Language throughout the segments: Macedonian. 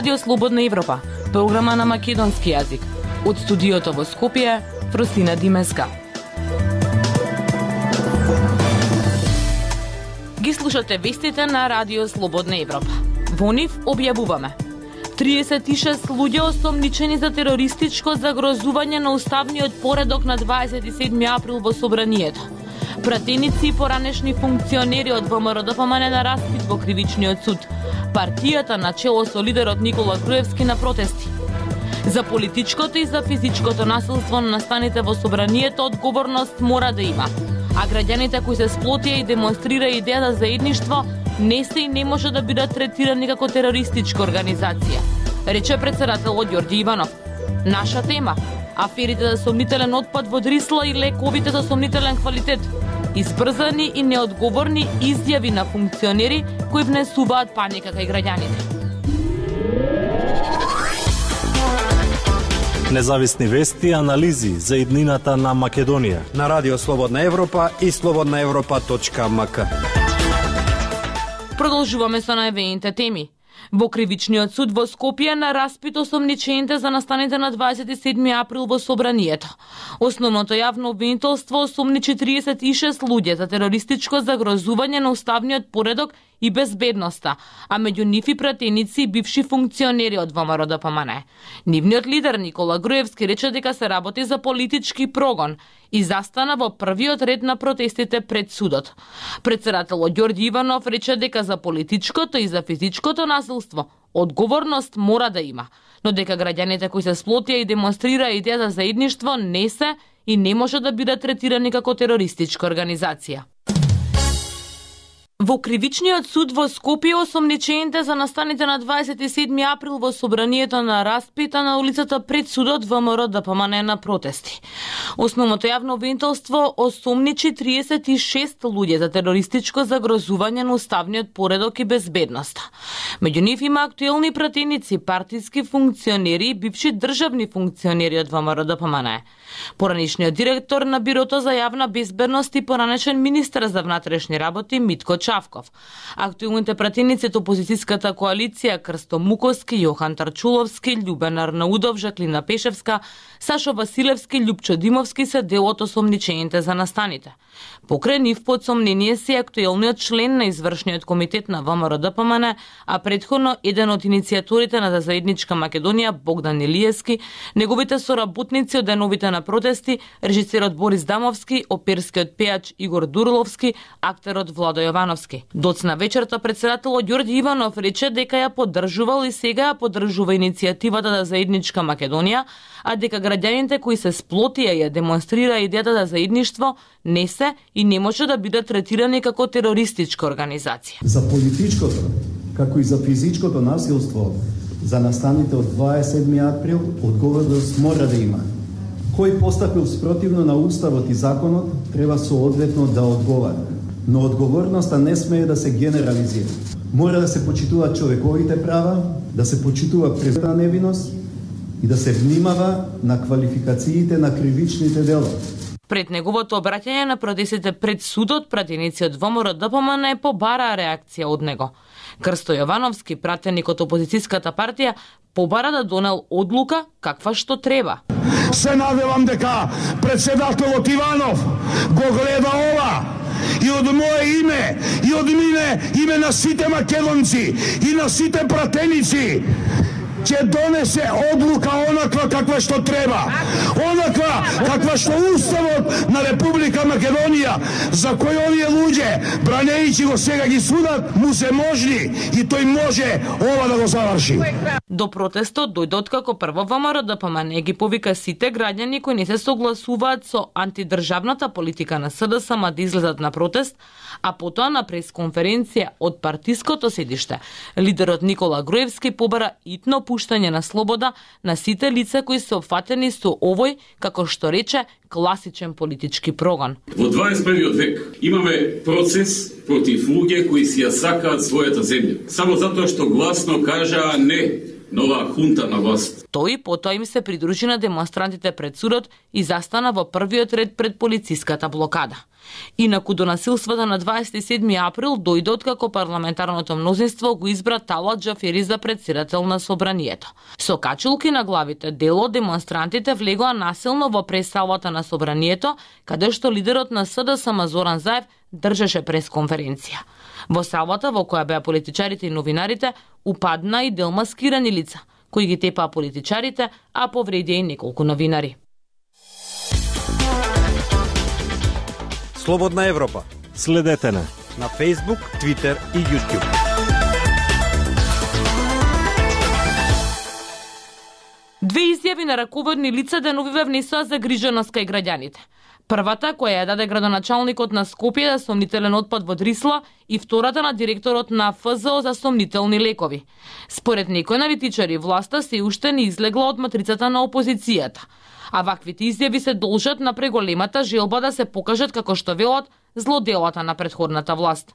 Радио Слободна Европа, програма на македонски јазик. Од студиото во Скопје, Фросина Димеска. Ги слушате вестите на Радио Слободна Европа. Во нив објавуваме: 36 луѓе осомничени за терористичко загрозување на уставниот поредок на 27 април во Собранието. Пратеници и поранешни функционери од ВМРО-ДПМН на распит во кривичниот суд. Партијата на чело со лидерот Никола Груевски на протести. За политичкото и за физичкото насилство на настаните во Собранието одговорност мора да има. А граѓаните кои се сплотија и демонстрира идејата за едништво не се и не може да бидат третирани како терористичка организација, рече председателот Ѓорѓе Иванов. Наша тема: аферите за сомнителен отпад во Дрисла и лековите за сомнителен квалитет. Избрзани и неодговорни изјави на функционери кои внесуваат паника кај граѓаните. Независни вести и анализи за иднината на Македонија на Радио Слободна Европа и slobodnaevropa.mk. Продолжуваме со најавените теми. Во кривичниот суд во Скопје на распит осомничените за настаните на 27 април во Собранието. Основното јавно обвинителство осомничи 36 луѓе за терористичко загрозување на уставниот поредок и безбедноста, а меѓу нив и пратеници и бивши функционери од ВМРО-ДПМН. Нивниот лидер Никола Груевски рече дека се работи за политички прогон и застана во првиот ред на протестите пред судот. Председателот Ѓорѓе Иванов рече дека за политичкото и за физичкото насилство одговорност мора да има, но дека граѓаните кои се сплотија и демонстрира идејата за едништво не се и не може да бидат третирани како терористичка организација. Во кривичниот суд во Скопје осомничените за настаните на 27 април во Собранието на распита на улицата пред судот ВМРО-ДПМН на протести. Основното јавно обвинителство осомничи 36 луѓе за терористичко загрозување на уставниот поредок и безбедноста. Меѓу нив има актуелни пратеници, партиски функционери и бивши државни функционери од ВМРО-ДПМН. Поранешниот директор на Бирото за јавна безбедност и поранешен министер за внатрешни работи Митко Чавков. Актуелните пратеници од опозицијската коалиција Крсто Муковски, Јохан Тарчуловски, Љубен Арнаудов, Жаклина Пешевска, Сашо Василевски, Љупчо Димовски се дел од осомничените за настаните. Покрај нив под сомнение се актуелниот член на извршниот комитет на ВМРО-ДПМН, а претходно еден од иницијаторите на заедничка Македонија Богдан Илиевски, неговите соработници од деновите на протести, режисерот Борис Дамовски, оперскиот пејач Игор Дурловски, актерот Владо Јовановски. Доцна вечерта председателот Ѓорѓе Иванов рече дека ја поддржувал и сега ја поддржува иницијативата за заедничка Македонија, а дека граѓаните кои се сплотија и ја демонстрира идејата за заедништво не се и не може да бидат третирани како терористичка организација. За политичкото, како и за физичкото насилство за настаните од 27 април, одговорност мора да има. Кој постапил спротивно на уставот и законот, треба соодветно да одговара. Но одговорноста не смее да се генерализира. Мора да се почитуваат човековите права, да се почитува презумпцията невиност и да се внимава на квалификациите на кривичните дела. Пред неговото обраќање на протестите пред судот, пратеници од ВМРО-ДПМН побара реакција од него. Крсто Јовановски, пратеник од опозицијската партија, побара да донел одлука каква што треба. Се надевам дека председателот Иванов го гледа ова и од мое име и од име на сите македонци и на сите пратеници ќе донесе одлука онаква каква што треба. Онаква каква што Уставот на Република Македонија, за кој овие луѓе, бранејќи го сега ги судат, му се можни и тој може ова да го заврши. До протестот дојдот како прво ВМРО-ДПМН ги повика сите граѓани кои не се согласуваат со антидржавната политика на СДСМ да излезат на протест, а потоа на пресконференција од партиското седиште, лидерот Никола Груевски побара итно пуштање на слобода на сите лица кои се опфатени со овој, како што рече, класичен политички прогон. Во 21. век имаме процес против луѓе кои си ја сакаат својата земја, само затоа што гласно кажаа не нова хунта на власт. Тој потоа им се придружи на демонстрантите пред судот и застана во првиот ред пред полициската блокада. Инаку до насилствата на 27 април дојде откако парламентарното мнозинство го избра Талат Џафери за председател на собранието. Со качулки на главите, дел од демонстрантите влегоа насилно во пресалата на собранието, каде што лидерот на СДСМ Зоран Заев држеше пресконференција. Во салата во која беа политичарите и новинарите, упадна и дел маскирани лица, кои ги тепаа политичарите, а повредија и неколку новинари. Слободна Европа. Следете на Facebook, Twitter и YouTube. Две изјави на раководни лица деновиве внесоа загриженост кај граѓаните. Првата, која ја даде градоначалникот на Скопје за сомнителен отпад во Дрисла, и втората на директорот на ФЗО за сомнителни лекови. Според некои аналитичари, власта се уште не излегла од матрицата на опозицијата. А ваквите изјави се должат на преголемата желба да се покажат, како што велат, злоделата на претходната власт.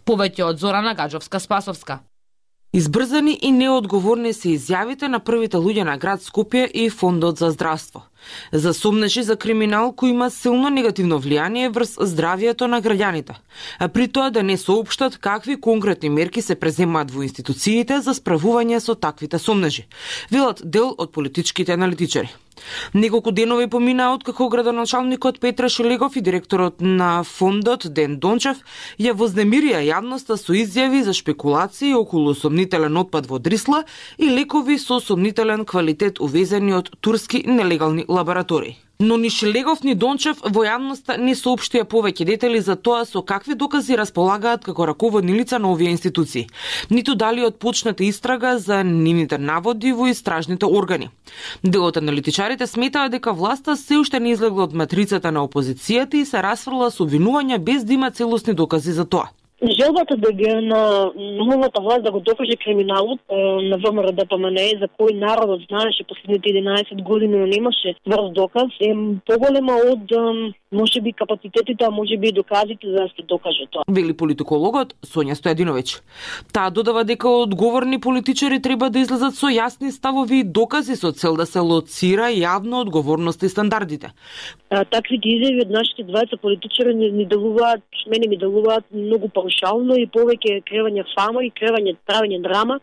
Повеќе од Зорана Гаджовска-Спасовска. Избрзани и неодговорни се изјавите на првите луѓе на град Скопје и Фондот за здравство. Засомнеше за криминал кој има силно негативно влијание врз здравието на граѓаните, а при тоа да не соопштат какви конкретни мерки се преземаат во институциите за справување со таквите сомнежи, велат дел од политичките аналитичари. Неколку денови поминаа откако градоначалникот Петра Шелегов и директорот на фондот Ден Дончев ја вознемирија јавноста со изјави за шпекулации околу сомнителен отпад во Дрисла и лекови со сомнителен квалитет увезени од турски нелегални лаборатории. Но ни Шелегов ни Дончев во јавноста не соопштија повеќе детали за тоа со какви докази располагаат како раководни лица на овие институции, ниту дали отпочната истрага за нивните наводи во истражните органи. Дел од аналитичарите сметаат дека власта се уште не излегла од матрицата на опозицијата и се расфрла со обвинувања без да има целосни докази за тоа. Желбата да ги на новата власт да го докаже криминалот на ВМРО ДПМНЕ, за кој народот знаеше последните 11 години, но немаше врз доказ, е поголема од можеби капацитетите, а можеби и доказите за да се докаже тоа. Вели политикологот Сонја Стојадиновиќ. Таа додава дека одговорни политичари треба да излезат со јасни ставови и докази со цел да се лоцира јавно одговорноста и стандардите. Таквите изјави од нашите двајца политичари ми делуваат, мене ми делуваат многу паушално и повеќе кревање фама и правење драма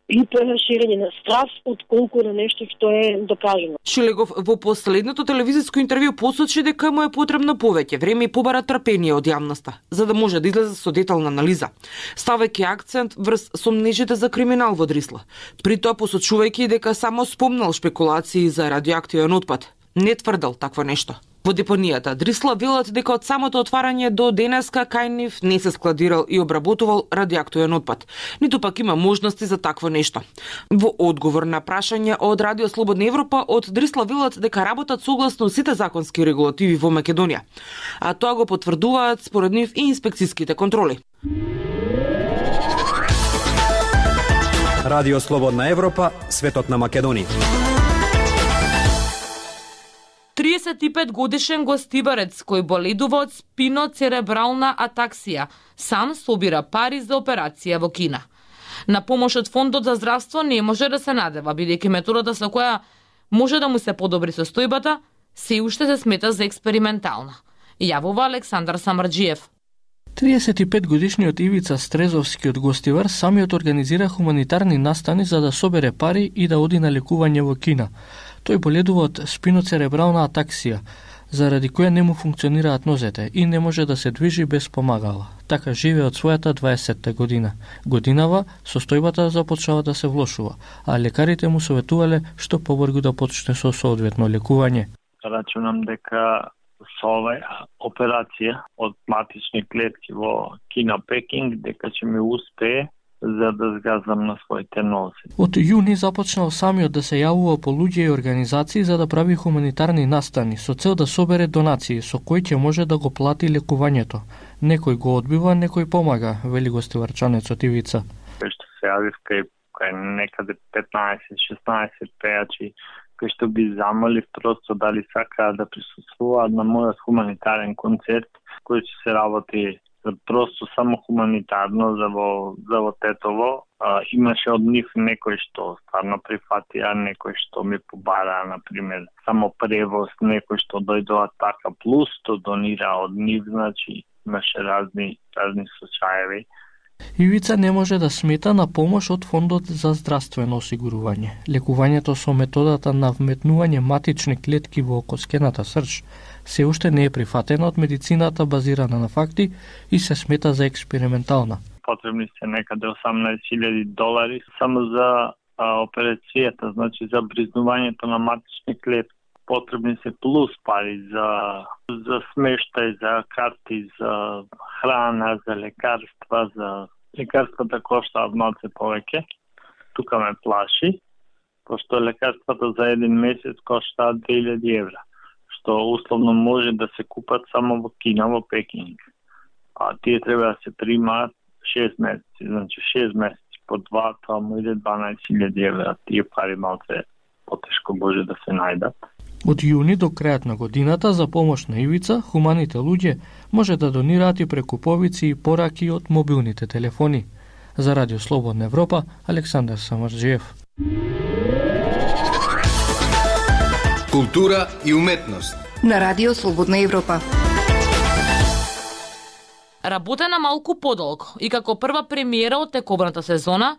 и преширење на страв отколку на нешто што е докажено. Шелегов во последното телевизиско интервју посочи дека му е потребно повеќе време и побара трпение од јавноста, за да може да излезе со детална анализа, ставајќи акцент врз сомнежите за криминал во Дрисла. При тоа посочувајќи дека само спомнал шпекулации за радиоактивен отпад. Не тврдел такво нешто. Во депонијата Дрисла велат дека од самото отварање до денеска кај нив не се складирал и обработувал радиоактивен отпад, ниту пак има можности за такво нешто. Во одговор на прашање од Радио Слободна Европа од Дрисла велат дека работат согласно сите законски регулативи во Македонија, а тоа го потврдуваат според нив и инспекцијските контроли. Радио Слободна Европа, светот на Македонија. 35 годишен гостибарец кој боледува од спиноцеребрална атаксија сам собира пари за операција во Кина. На помош од Фондот за здравство не може да се надева, бидејќи методата со која може да му се подобри состојбата се уште се смета за експериментална. Јавува Александар Самарџиев. 35 годишниот Ивица Стрезовски од Гостивар самиот организира хуманитарни настани за да собере пари и да оди на лекување во Кина. Тој боледува од спиноцеребрална атаксија, заради која не му функционираат нозете и не може да се движи без помагала. Така живее од својата 20-та година. Годинава состојбата започнала да се влошува, а лекарите му советувале што побрзо да почне со соодветно лекување. Рачунам дека со оваа операција од матични клетки во Кина Пекинг дека ќе ми успее за да згазвам на своите нозе. Од јуни започнал самиот да се јавува по луѓе и организации за да прави хуманитарни настани со цел да собере донации со кои ќе може да го плати лекувањето. Некој го одбива, некој помага, вели гостиварчанецот Ивица. Што се јавив кај некаде 15-16 пејачи кои што би замолив просто дали сакаат да присуствуваат на мојот хуманитарен концерт кој ќе се работи Просто само хуманитарно за во Тетово. Имаше од нив некој што стварно прифатија, некој што ми побара, например, само превоз, некој што дојдоа така, плюс што донира од нив, значи имаше разни случаеви. Ивица не може да смета на помош од Фондот за здравствено осигурување. Лекувањето со методата на вметнување матични клетки во коскената срж се уште не е прифатена од медицината базирана на факти и се смета за експериментална. Потребни се некаде $18,000 само за операцијата, значи за бризнувањето на матични клетки. Потребни се плюс пари за смештај, за карти, за храна, за лекарства, лекарствата коштаат малце повеќе. Тука ме плаши, пошто лекарствата за еден месец коштаат €2,000, што условно може да се купат само во Кина, во Пекинг. А тие треба да се примаат 6 месеци, значи 6 месеци по 2, тоа му иде €12,000. Тие пари малце потешко може да се најдат. Од јуни до крајот на годината за помош на Ивица, хуманите луѓе може да донираат и преку повици и пораки од мобилните телефони. За Радио Слободна Европа, Александар Самарџиев. Култура и уметност на Радио Слободна Европа. Работена малку подолго и како прва премиера од тековната сезона,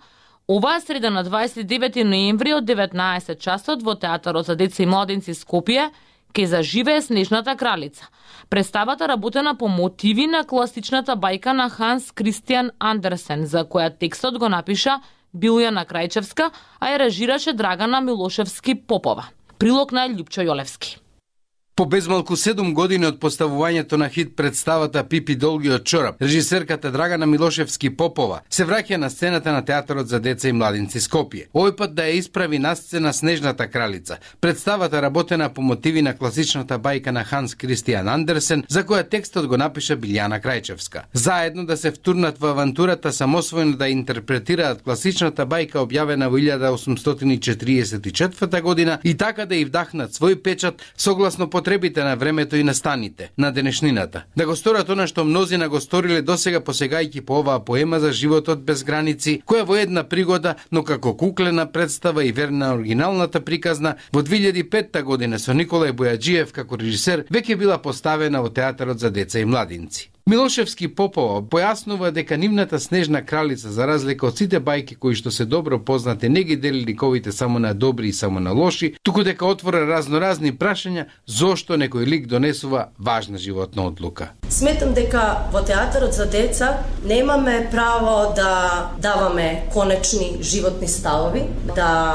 оваа среда на 29 ноември од 19 часот во Театарот за деца и младинци Скопје ќе заживее Снежната кралица. Представата работена по мотиви на класичната бајка на Ханс Кристијан Андерсен, за која текстот го напиша Билјана Крајчевска, а ја режираше Драгана Милошевски Попова. Прилог на Љупчо Јолевски. По безмалку 7 години од поставувањето на хит представата Пипи Долгиот чорап, режисерката Драгана Милошевски Попова се враќа на сцената на Театарот за деца и младинци Скопје. Овој пат да ја исправи на сцена Снежната кралица. Представата работена по мотиви на класичната бајка на Ханс Кристијан Андерсен, за која текстот го напиша Билјана Крајчевска. Заедно да се втурнат во авантурата самосвојно да интерпретираат класичната бајка објавена во 1844 година и така да ја вдахнат свој печат согласно потребите на времето и настаните на денешнината. Да го сторат она што мнозина го сториле досега посегајќи по оваа поема за животот без граници, која во една пригода, но како куклена представа и верна оригиналната приказна, во 2005 година со Николај Бојаджиев како режисер веќе била поставена во Театарот за деца и младинци. Милошевски Попова појаснува дека нивната Снежна кралица, за разлика од сите бајки кои што се добро познати, не ги дели ликовите само на добри и само на лоши, туку дека отвора разноразни прашања зошто некој лик донесува важна животна одлука. Сметам дека во Театарот за деца немаме право да даваме конечни животни ставови, да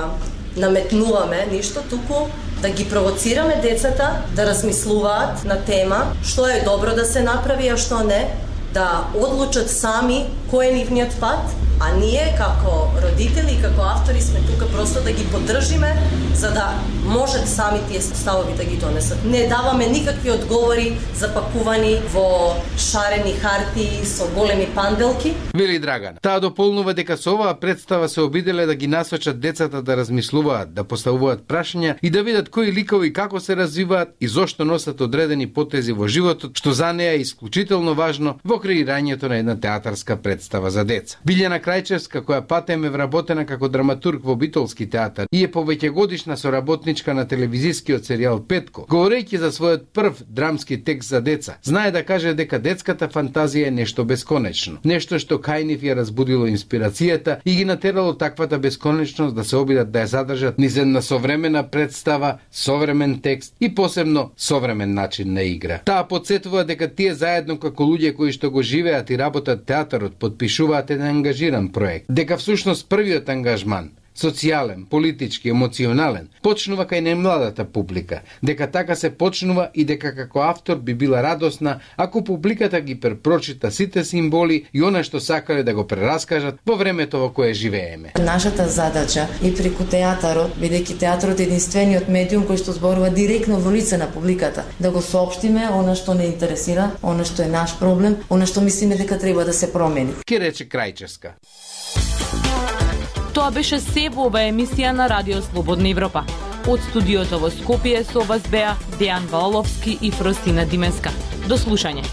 наметнуваме ништо, туку да ги провоцираме децата да размислуваат на тема што е добро да се направи, а што не, да одлучат сами кој е нивниот пат, а ние како родители и како автори сме тука просто да ги поддржиме за да можат сами тие ставови да ги донесат. Не даваме никакви одговори запакувани во шарени хартии со големи панделки. Вели Драгана. Таа дополнува дека со оваа представа се обиделе да ги насочат децата да размислуваат, да поставуваат прашања и да видат кои ликови како се развиваат и зошто носат одредени потези во животот, што за неа е исклучително важно во креирањето на една театарска представа за деца. Билјана Крајчевска, која патем е вработена како драматург во Битолски театар и е повеќегодишна соработничка на телевизискиот серијал Петко, говорејќи за својот прв драмски текст за деца, знае да каже дека детската фантазија е нешто бесконечно, нешто што кај нив ја разбудило инспирацијата и ги натерало таквата бесконечност да се обидат да ја задржат низ една современа представа, современ текст и посебно современ начин на игра. Таа потсетува дека тие заедно како луѓе кои што го живеат и работат театарот подпишуваат еден ангажиран проект, дека всушност првиот ангажман, социјален, политички, емоционален, почнува кај најмладата публика, дека така се почнува и дека како автор би била радосна ако публиката ги препрочита сите символи и она што сакале да го прераскажат во времето во кое живееме. Нашата задача е преку театарот, бидејќи театарот е единствениот медиум кој што зборува директно во лице на публиката, да го соопштиме она што не интересира, она што е наш проблем, она што мислиме дека треба да се промени. Ке рече Крајчевска. Тоа беше се во оваа емисија на Радио Слободна Европа. Од студиото во Скопје со вас беа Дејан Валовски и Фростина Дименска. До слушање.